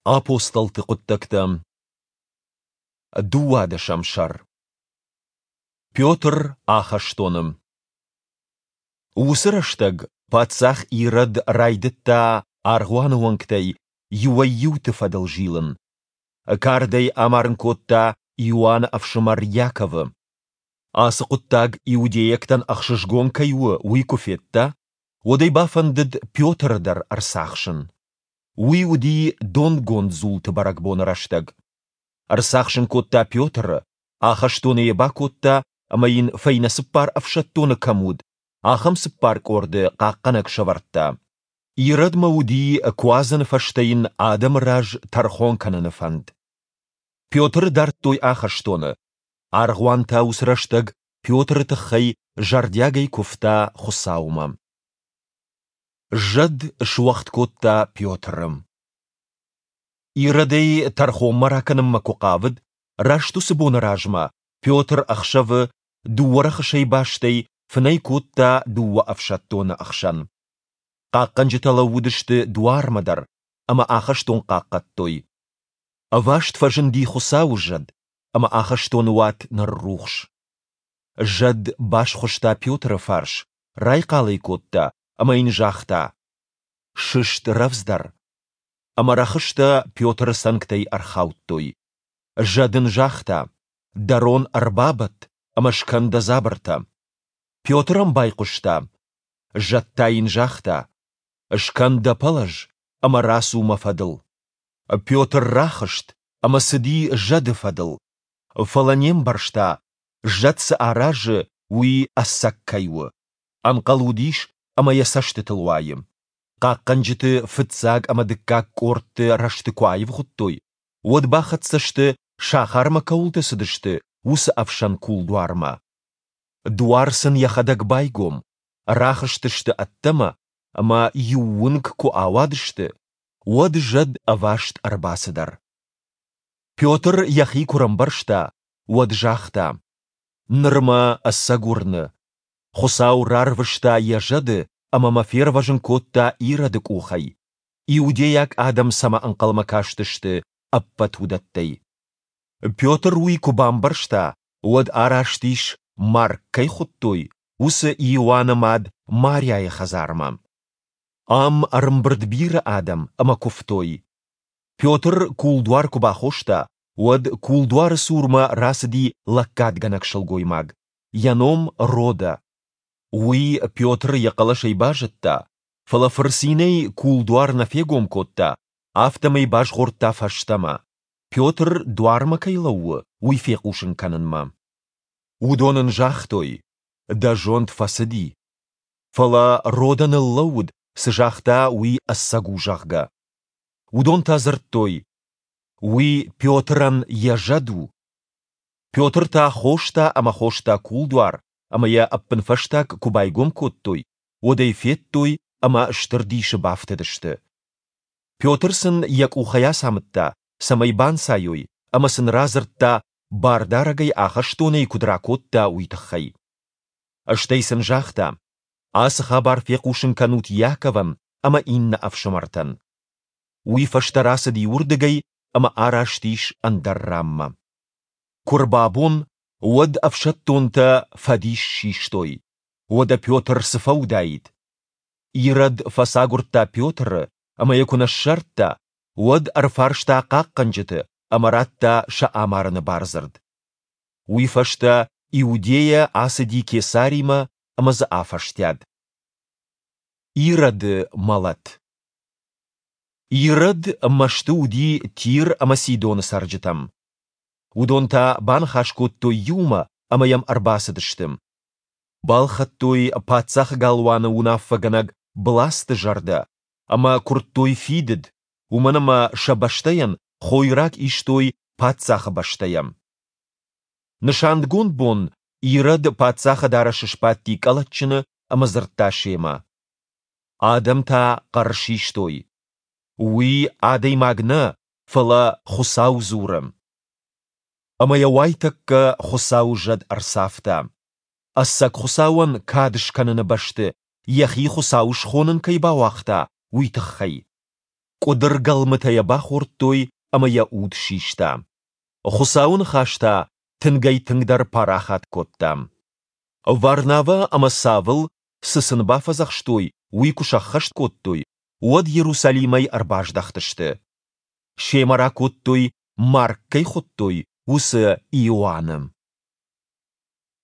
Апостолты хъуыддӕгтӕ, дыууадӕсӕм сӕр. Петр ахӕстоны. Уыцы рӕстӕг паддзах Ирод райдыдта аргъуаны уӕнгтӕй иуӕй-иуты фӕдыл зилын. Кардӕй амарын кодта Иоанны ӕфсымӕр Иаковы. Ацы хъуыддаг иудейӕгтӕн ӕхсызгон кӕй у, уый куы федта, уӕд ӕй бафӕндыд Петры дӕр ӕрцахсын. Уый уыди донгонд дзулты бӕрӕгбоны рӕстӕг. Ӕрцахсын кодта Петры, ахӕстоны йӕ бакодта ӕмӕ йын фӕйнӕ цыппар ӕфсӕддоны кӕм уыд, ахӕм цыппар къорды хъахъхъӕнӕг сӕвӕрдта. Иродмӕ уыди Куадзӕны фӕстӕ йын адӕмы раз тӕрхон кӕныны фӕнд. Петры дардтой ахӕстоны. Аргъуан та уыцы рӕстӕг Петры тыххӕй зӕрдиагӕй куывта Хуыцаумӕ. Зӕд суӕгъд кодта Петры. Иродӕй тӕрхонмӕ ракӕнынмӕ куы хъавыд, раст уыцы боны размӕ Петр ӕхсӕвы дыууӕ рӕхысӕй бастӕй фынӕй кодта дыууӕ ӕфсӕддоны ӕхсӕн. Хъахъхъӕнджытӕ лӕууыдысты дуармӕ дӕр ӕмӕ ахӕстон хъахъхъӕдтой. Ӕваст фӕзынди Хуыцауы зӕд, ӕмӕ ахӕстоны уат ныррухс. Зӕд басхуыста Петры фарс, райхъал ӕй кодта ӕмӕ йын загъта: «Сыст рӕвдздӕр!» Ӕмӕ рӕхыстӕ Петры цӕнгтӕй ӕрхаудтой. Зӕд ын загъта: «Дӕ рон ӕрбабӕтт ӕмӕ скӕн дӕ дзабыртӕ». Петр ӕм байхъуыста. Зӕд та йын загъта: «Скӕн дӕ пӕлӕз ӕмӕ рацу мӕ фӕдыл». Петр рахызт ӕмӕ цыди зӕды фӕдыл, фӕлӕ не мбӕрста, зӕд цы аразы, уый ӕцӕг кӕй у. Ӕнхъӕл уыдис, ӕмӕ йӕ цӕстытыл уайы. Хъахъхъӕнджыты фыццаг ӕмӕ дыккаг къордты рӕзты куы аивгъуыдтой, уӕд бахӕццӕ сты, сахармӕ кӕуылты цыдысты, уыцы ӕфсӕн кулдуармӕ. Дуар сын йӕхӕдӕг байгом, рахызтысты ӕддӕмӕ ӕмӕ иу уынг куы ауадысты, уӕд зӕд ӕваст ӕрбацыдӕр. Петр йӕхи куы рӕмбӕрста, уӕд загъта: «Ныр мӕ ӕцӕг уырны, Хуыцау рарвыста йӕ зӕды ӕмӕ мӕ фервӕзын кодта Ироды къухӕй, иудейаг адӕм цӕмӕ ӕнхъӕлмӕ кастысты, ӕппӕт уыдӕттӕй». Петр уый куы бамбӕрста, уӕд араст ис, Марк кӕй хуыдтой, уыцы Иоанны мад Мариайы хӕдзармӕ. Ам ӕрӕмбырд бирӕ адӕм ӕмӕ куывтой. Петр кулдуар куы бахоста, уӕд кулдуары цурмӕ рацыди лӕггадгӕнӕг сылгоймаг, йӕ ном Рода. Уый Петры йӕ хъӕлӕсӕй базыдта, фӕлӕ фырцинӕй кулдуар нӕ фегом кодта, афтӕмӕй базгъордта фӕстӕмӕ, Петр дуармӕ кӕй лӕууы, уый фехъусын кӕнынмӕ. Уыдон ын загътой: Дӕ зонд фӕцыди. Фӕлӕ Рода ныллӕууыд, цы загъта, уый ӕцӕг у, зӕгъгӕ. Уыдон та дзырдтой: Уый Петрӕн йӕ зӕд у. Петр та хоста ӕмӕ хоста кулдуар, ӕмӕ йӕ ӕппынфӕстаг куы байгом кодтой, уӕд ӕй федтой ӕмӕ стыр дисы бафтыдысты. Петр сын йӕ къухӕй ацамыдта, цӕмӕй банцайой, ӕмӕ сын радзырдта, Бардарӕг ӕй ахӕстонӕй куыд ракодта, уый тыххӕй. Стӕй сын загъта: Ацы хабар фехъусын кӕнут Иаковӕн ӕмӕ иннӕ ӕфсымӕртӕн. Уый фӕстӕ рацыди уырдыгӕй ӕмӕ араст ис ӕндӕр ранмӕ. Куы рбабон, уӕд ӕфсӕддонтӕ фӕдис систой. Уӕдӕ Петр цы фӕуыдаид? Ирод фӕцагуырдта Петры ӕмӕ йӕ куы нӕ ссардта, уӕд ӕрфарста хъахъхъӕнджыты ӕмӕ радта сӕ амарыны бардзырд. Уый фӕстӕ Иудейӕ ацыди Кесаримӕ ӕмӕ дзы афӕстиат. Ироды мӕлӕт Ирод мӕсты уыди Тир ӕмӕ Сидоны цӕрджытӕм. Уыдон та баныхас кодтой иумӕ ӕмӕ йӕм ӕрбацыдысты. Балхӕдтой паддзахы галуаны уынаффӕгӕнӕг Бласты зӕрдӕ ӕмӕ куырдтой фидыд, уымӕн ӕмӕ сӕ бӕстӕйӕн хойраг истой паддзахы бӕстӕйӕ. Нысангонд бон Ирод паддзахы дарӕсы сбадти къӕлӕтджыны ӕмӕ дзырдта семӕ. Адӕм та хъӕр систой: Уый адӕймаг нӕ, фӕлӕ Хуыцау дзуры. Ӕмӕ йӕ уайтӕккӕ Хуыцауы зӕд ӕрцавта. Ӕцӕг Хуыцауӕн кад скӕныны бӕсты йӕхи Хуыцау схонын кӕй бауагъта, уый тыххӕй. Къуыдыргӕлмытӕ йӕ бахордтой ӕмӕ йӕ уд систа. Хуыцауы ныхас та тынгӕй-тынгдӕр парахат кодта. Варнавӕ ӕмӕ Савл, цы сын бафӕдзӕхстой, уый куы сӕххӕст кодтой, уӕд Иерусалимӕй ӕрбаздӕхтысты. Семӕ ракодтой, Марк кӕй хуыдтой, уыцы Иоанны.